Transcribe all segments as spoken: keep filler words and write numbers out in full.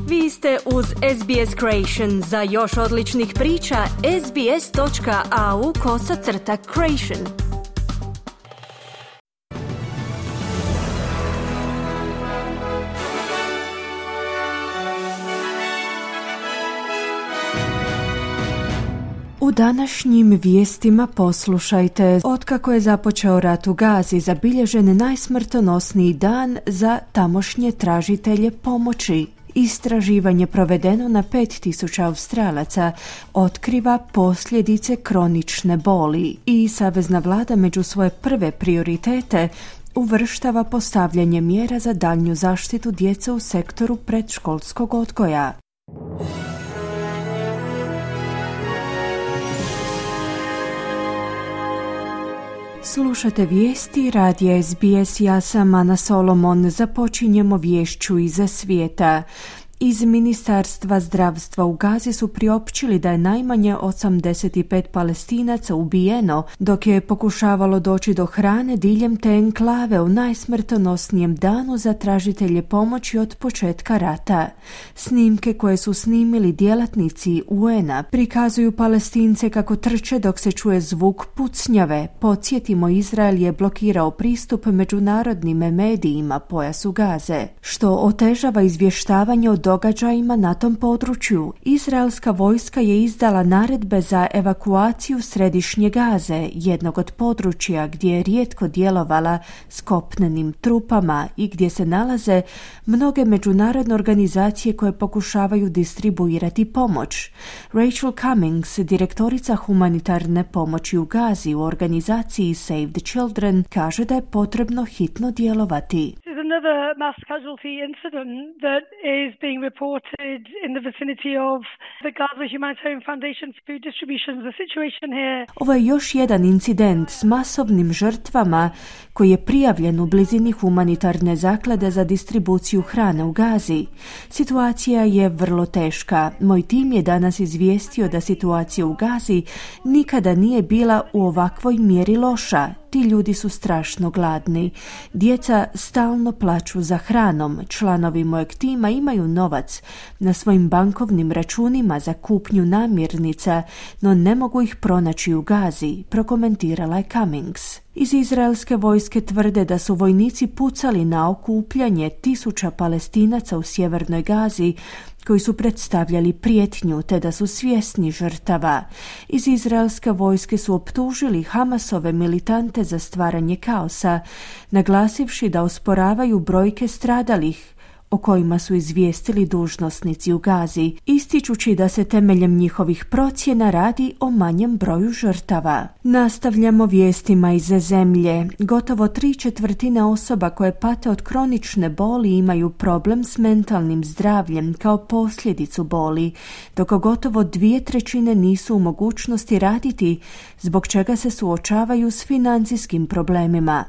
Vi ste uz S B S Creation. Za još odličnih priča, sbs.au kosacrta creation. U današnjim vijestima poslušajte: otkako je započeo rat u Gazi, zabilježen najsmrtonosniji dan za tamošnje tražitelje pomoći. Istraživanje provedeno na pet tisuća Australaca otkriva posljedice kronične boli i savezna vlada među svoje prve prioritete uvrštava postavljanje mjera za daljnju zaštitu djece u sektoru predškolskog odgoja. Slušate vijesti radija S B S, ja sam Ana Solomon. Započinjemo viješću iza svijeta. Iz Ministarstva zdravstva u Gazi su priopćili da je najmanje osamdeset pet Palestinaca ubijeno dok je pokušavalo doći do hrane diljem te enklave u najsmrtonosnijem danu za tražitelje pomoći od početka rata. Snimke koje su snimili djelatnici U N a prikazuju Palestince kako trče dok se čuje zvuk pucnjave. Podsjetimo, Izrael je blokirao pristup međunarodnim medijima pojasu Gaze, što otežava izvještavanje o događajima na tom području. Izraelska vojska je izdala naredbe za evakuaciju središnje Gaze, jednog od područja gdje je rijetko djelovala s kopnenim trupama i gdje se nalaze mnoge međunarodne organizacije koje pokušavaju distribuirati pomoć. Rachel Cummings, direktorica humanitarne pomoći u Gazi u organizaciji Save the Children, kaže da je potrebno hitno djelovati. Another mass casualty incident that is being reported in the vicinity of the Gaza Humanitarian Foundation food distribution. The situation here. Ovo je još jedan incident s masovnim žrtvama koji je prijavljen u blizini humanitarne zaklade za distribuciju hrane u Gazi. Situacija je vrlo teška. Moj tim je danas izvijestio da situacija u Gazi nikada nije bila u ovakvoj mjeri loša. Ti ljudi su strašno gladni. Djeca stalno plaču za hranom. Članovi mojeg tima imaju novac na svojim bankovnim računima za kupnju namirnica, no ne mogu ih pronaći u Gazi, prokomentirala je Cummings. Iz izraelske vojske tvrde da su vojnici pucali na okupljanje tisuća Palestinaca u sjevernoj Gazi koji su predstavljali prijetnju, te da su svjesni žrtava. Iz izraelske vojske su optužili Hamasove militante za stvaranje kaosa, naglasivši da osporavaju brojke stradalih o kojima su izvijestili dužnosnici u Gazi, ističući da se temeljem njihovih procjena radi o manjem broju žrtava. Nastavljamo vijestima iz zemlje. Gotovo tri četvrtine osoba koje pate od kronične boli imaju problem s mentalnim zdravljem kao posljedicu boli, dok gotovo dvije trećine nisu u mogućnosti raditi, zbog čega se suočavaju s financijskim problemima.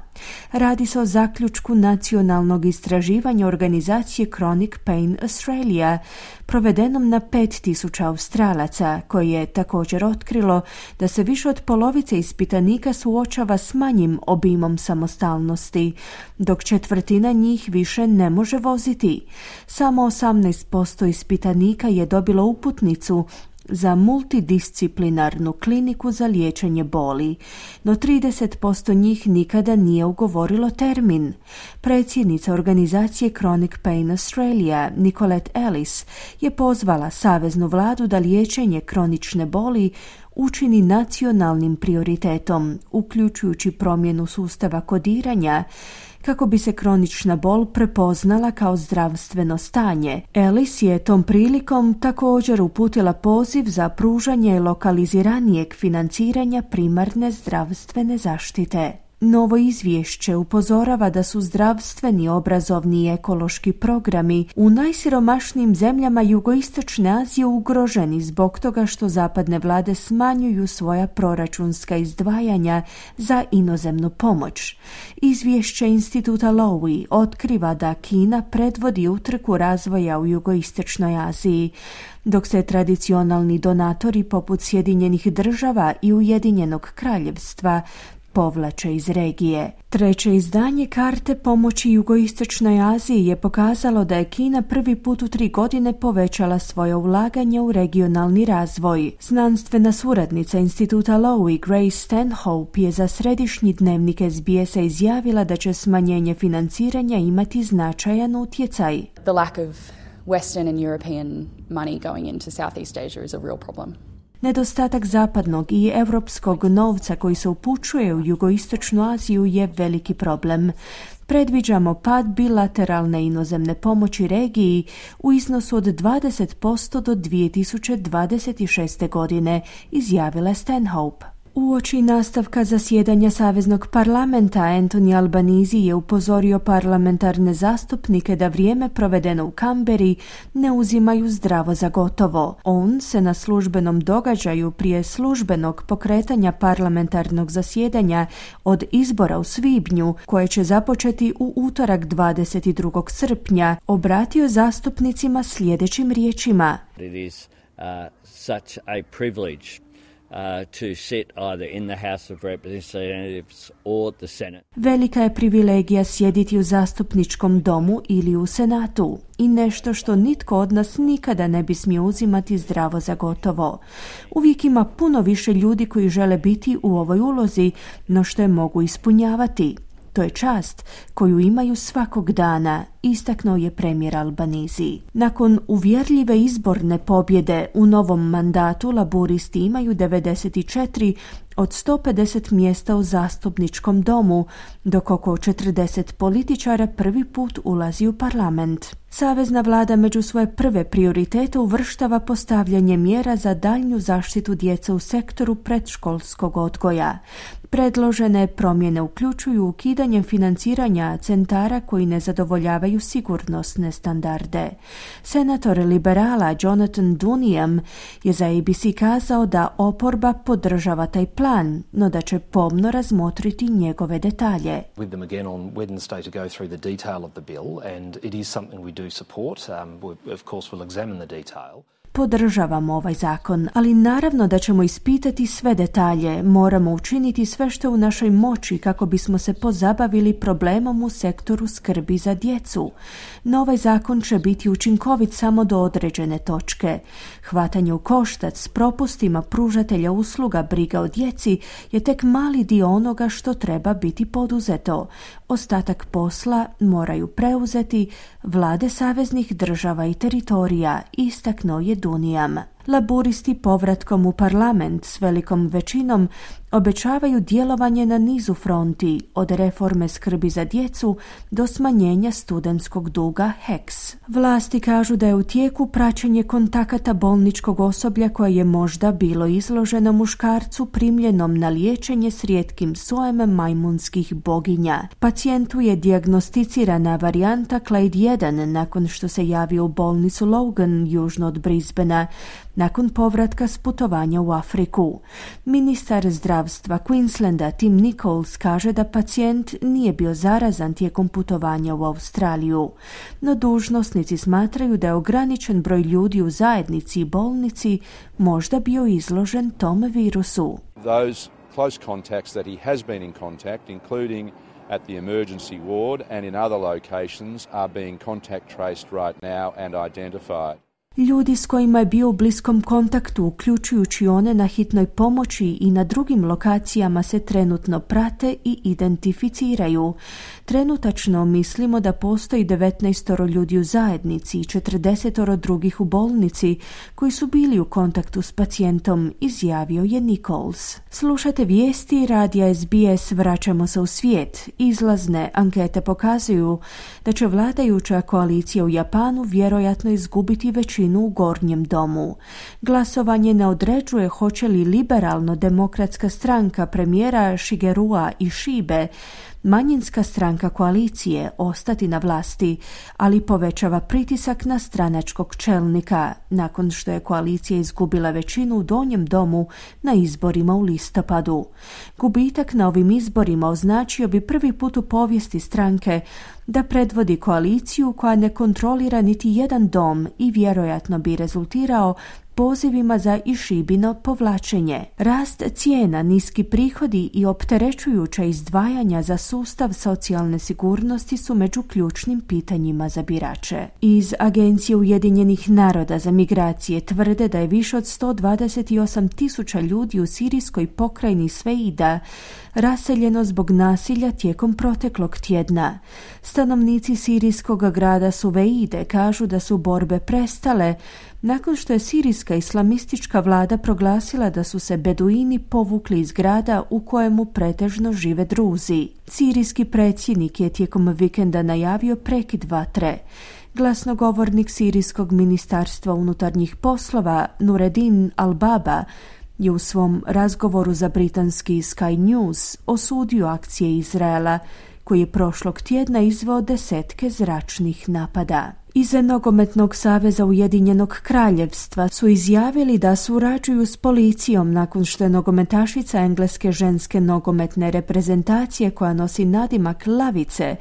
Radi se o zaključku nacionalnog istraživanja organizacije Chronic Pain Australia, provedenom na pet tisuća Australaca, koje je također otkrilo da se više od polovice ispitanika suočava s manjim obimom samostalnosti, dok četvrtina njih više ne može voziti. Samo osamnaest posto ispitanika je dobilo uputnicu za multidisciplinarnu kliniku za liječenje boli, no trideset posto njih nikada nije ugovorilo termin. Predsjednica organizacije Chronic Pain Australia, Nicolette Ellis, je pozvala saveznu vladu da liječenje kronične boli učini nacionalnim prioritetom, uključujući promjenu sustava kodiranja, kako bi se kronična bol prepoznala kao zdravstveno stanje. Ellis je tom prilikom također uputila poziv za pružanje lokaliziranijeg financiranja primarne zdravstvene zaštite. Novo izvješće upozorava da su zdravstveni, obrazovni i ekološki programi u najsiromašnijim zemljama jugoistočne Azije ugroženi zbog toga što zapadne vlade smanjuju svoja proračunska izdvajanja za inozemnu pomoć. Izvješće instituta Lowy otkriva da Kina predvodi utrku razvoja u jugoistočnoj Aziji, dok se tradicionalni donatori poput Sjedinjenih država i Ujedinjenog kraljevstva povlače iz regije. Treće izdanje karte pomoći Jugoistočnoj Aziji je pokazalo da je Kina prvi put u tri godine povećala svoje ulaganje u regionalni razvoj. Znanstvena suradnica instituta Lowy, Grace Stanhope, je za središnji dnevnik S B S-a izjavila da će smanjenje financiranja imati značajan utjecaj. The lack of Western and European money going into Southeast Asia is a real problem. Nedostatak zapadnog i europskog novca koji se upućuje u Jugoistočnu Aziju je veliki problem. Predviđamo pad bilateralne inozemne pomoći regiji u iznosu od dvadeset posto do dvije tisuće dvadeset šeste. godine, izjavila Stanhope. Uoči nastavka zasjedanja Saveznog parlamenta, Anthony Albanese je upozorio parlamentarne zastupnike da vrijeme provedeno u Kamberi ne uzimaju zdravo za gotovo. On se na službenom događaju prije službenog pokretanja parlamentarnog zasjedanja od izbora u svibnju, koje će započeti u utorak dvadeset drugog srpnja, obratio zastupnicima sljedećim riječima. It is uh, such a privilege Uh, to sit either in the House of Representatives or the Senate. Velika je privilegija sjediti u zastupničkom domu ili u Senatu i nešto što nitko od nas nikada ne bi smio uzimati zdravo za gotovo. Uvijek ima puno više ljudi koji žele biti u ovoj ulozi, no što je mogu ispunjavati. To je čast koju imaju svakog dana, istaknuo je premijer Albanese. Nakon uvjerljive izborne pobjede u novom mandatu, laburisti imaju devedeset četiri od sto pedeset mjesta u zastupničkom domu, dok oko četrdeset političara prvi put ulazi u parlament. Savezna vlada među svoje prve prioritete uvrštava postavljanje mjera za daljnju zaštitu djece u sektoru predškolskog odgoja. Predložene promjene uključuju ukidanje financiranja centara koji ne zadovoljavaju sigurnosne standarde. Senator liberala Jonathan Duniam je za A B C kazao da oporba podržava taj plan, no da će pomno razmotriti njegove detalje. With them again on Wednesday to go through the detail of the bill, and it is something we do support. Um, we, of course we'll examine the detail. Podržavamo ovaj zakon, ali naravno da ćemo ispitati sve detalje. Moramo učiniti sve što je u našoj moći kako bismo se pozabavili problemom u sektoru skrbi za djecu. No ovaj zakon će biti učinkovit samo do određene točke. Hvatanje u koštac s propustima pružatelja usluga briga o djeci je tek mali dio onoga što treba biti poduzeto. Ostatak posla moraju preuzeti vlade saveznih država i teritorija, istaknuo je Dunijam. Laburisti povratkom u parlament s velikom većinom obećavaju djelovanje na nizu fronti, od reforme skrbi za djecu do smanjenja studentskog duga H E C. Vlasti kažu da je u tijeku praćenje kontakata bolničkog osoblja koje je možda bilo izloženo muškarcu primljenom na liječenje s rijetkim sojem majmunskih boginja. Pacijentu je dijagnosticirana varijanta Clade jedan nakon što se javio u bolnicu Logan južno od Brisbanea, nakon povratka s putovanja u Afriku. Ministar zdravstva Queenslanda Tim Nichols kaže da pacijent nije bio zarazan tijekom putovanja u Australiju, no dužnosnici smatraju da je ograničen broj ljudi u zajednici i bolnici možda bio izložen tom virusu. Those close contacts that he has been in contact, including at the emergency ward and in other locations, are being contact traced right now and identified. Ljudi s kojima je bio u bliskom kontaktu, uključujući one na hitnoj pomoći i na drugim lokacijama, se trenutno prate i identificiraju. Trenutačno mislimo da postoji devetnaest ljudi u zajednici i četrdeset drugih u bolnici koji su bili u kontaktu s pacijentom, izjavio je Nichols. Slušate vijesti radija S B S, vraćamo se u svijet. Izlazne ankete pokazuju da će vladajuća koalicija u Japanu vjerojatno izgubiti većinu u gornjem domu. Glasovanje ne određuje hoće li liberalno-demokratska stranka premijera Shigerua Ishibe, manjinska stranka koalicije, ostati na vlasti, ali povećava pritisak na stranačkog čelnika nakon što je koalicija izgubila većinu u donjem domu na izborima u listopadu. Gubitak na ovim izborima označio bi prvi put u povijesti stranke da predvodi koaliciju koja ne kontrolira niti jedan dom i vjerojatno bi rezultirao pozivima za išibino povlačenje. Rast cijena, niski prihodi i opterećujuća izdvajanja za sustav socijalne sigurnosti su među ključnim pitanjima za birače. Iz Agencije Ujedinjenih naroda za migracije tvrde da je više od sto dvadeset osam tisuća ljudi u sirijskoj pokrajini Sveida raseljeno zbog nasilja tijekom proteklog tjedna. Stanovnici sirijskog grada Suveide kažu da su borbe prestale nakon što je sirijska islamistička vlada proglasila da su se beduini povukli iz grada u kojemu pretežno žive Druzi. Sirijski predsjednik je tijekom vikenda najavio prekid vatre. Glasnogovornik sirijskog ministarstva unutarnjih poslova Nureddin Al-Baba je u svom razgovoru za britanski Sky News osudio akcije Izraela, koji je prošlog tjedna izveo desetke zračnih napada. Iz Nogometnog saveza Ujedinjenog kraljevstva su izjavili da surađuju s policijom nakon što je nogometašica engleske ženske nogometne reprezentacije koja nosi nadimak Lavice,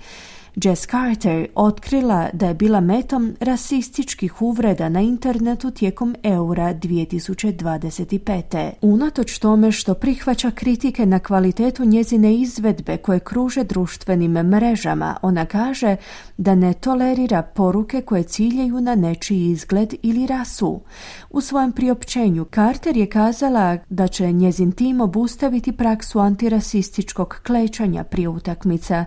Jess Carter, otkrila da je bila metom rasističkih uvreda na internetu tijekom Eura dvije tisuće dvadeset pete. Unatoč tome što prihvaća kritike na kvalitetu njezine izvedbe koje kruže društvenim mrežama, ona kaže da ne tolerira poruke koje ciljaju na nečiji izgled ili rasu. U svojem priopćenju Carter je kazala da će njezin tim obustaviti praksu antirasističkog klečanja prije utakmica,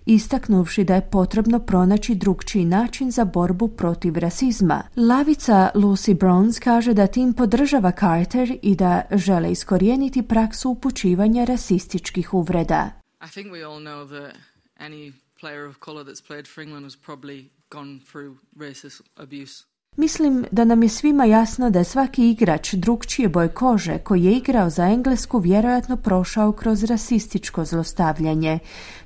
istaknuvši da je potrebno pronaći drukčiji način za borbu protiv rasizma. Lavica Lucy Bronze kaže da tim podržava Carter i da žele iskorijeniti praksu upućivanja rasističkih uvreda. I think we all know that any player of color that's played for England has probably gone through racist abuse. Mislim da nam je svima jasno da je svaki igrač drukčije boje kože koji je igrao za Englesku vjerojatno prošao kroz rasističko zlostavljanje.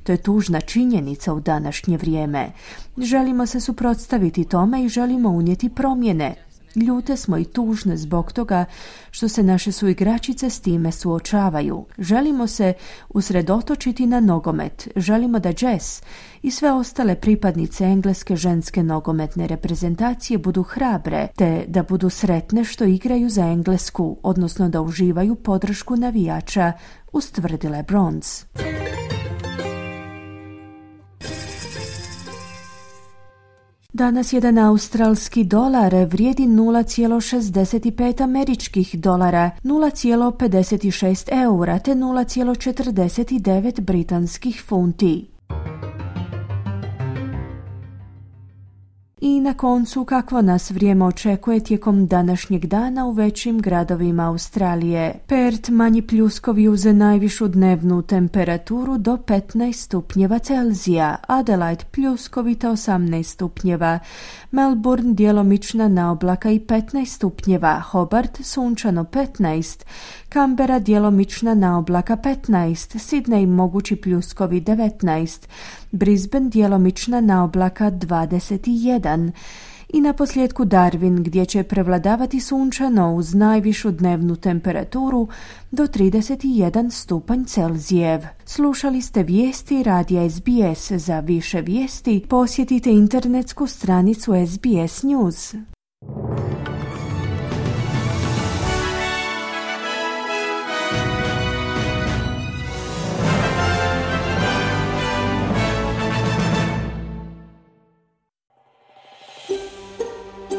To je tužna činjenica u današnje vrijeme. Želimo se suprotstaviti tome i želimo unijeti promjene. Ljute smo i tužne zbog toga što se naše suigračice s time suočavaju. Želimo se usredotočiti na nogomet. Želimo da Jess i sve ostale pripadnice engleske ženske nogometne reprezentacije budu hrabre, te da budu sretne što igraju za Englesku, odnosno da uživaju podršku navijača, ustvrdila je Bronze. Danas jedan australski dolar vrijedi nula zarez šezdeset pet američkih dolara, nula zarez pedeset šest eura te nula zarez četrdeset devet britanskih funti. I na koncu, kakvo nas vrijeme očekuje tijekom današnjeg dana u većim gradovima Australije. Perth manji pljuskovi uz najvišu dnevnu temperaturu do petnaest stupnjeva Celzija, Adelaide pljuskovita osamnaest stupnjeva, Melbourne djelomična naoblaka i petnaest stupnjeva, Hobart sunčano petnaest, Canberra djelomična naoblaka petnaest, Sydney mogući pljuskovi devetnaest, Brisbane djelomična naoblaka dvadeset jedan. I na posljedku Darwin, gdje će prevladavati sunčano uz najvišu dnevnu temperaturu do trideset jedan stupanj Celzijev. Slušali ste vijesti radija S B S. Za više vijesti posjetite internetsku stranicu S B S News.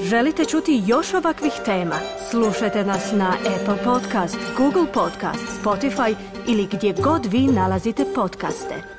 Želite čuti još ovakvih tema? Slušajte nas na Apple Podcast, Google Podcast, Spotify ili gdje god vi nalazite podcaste.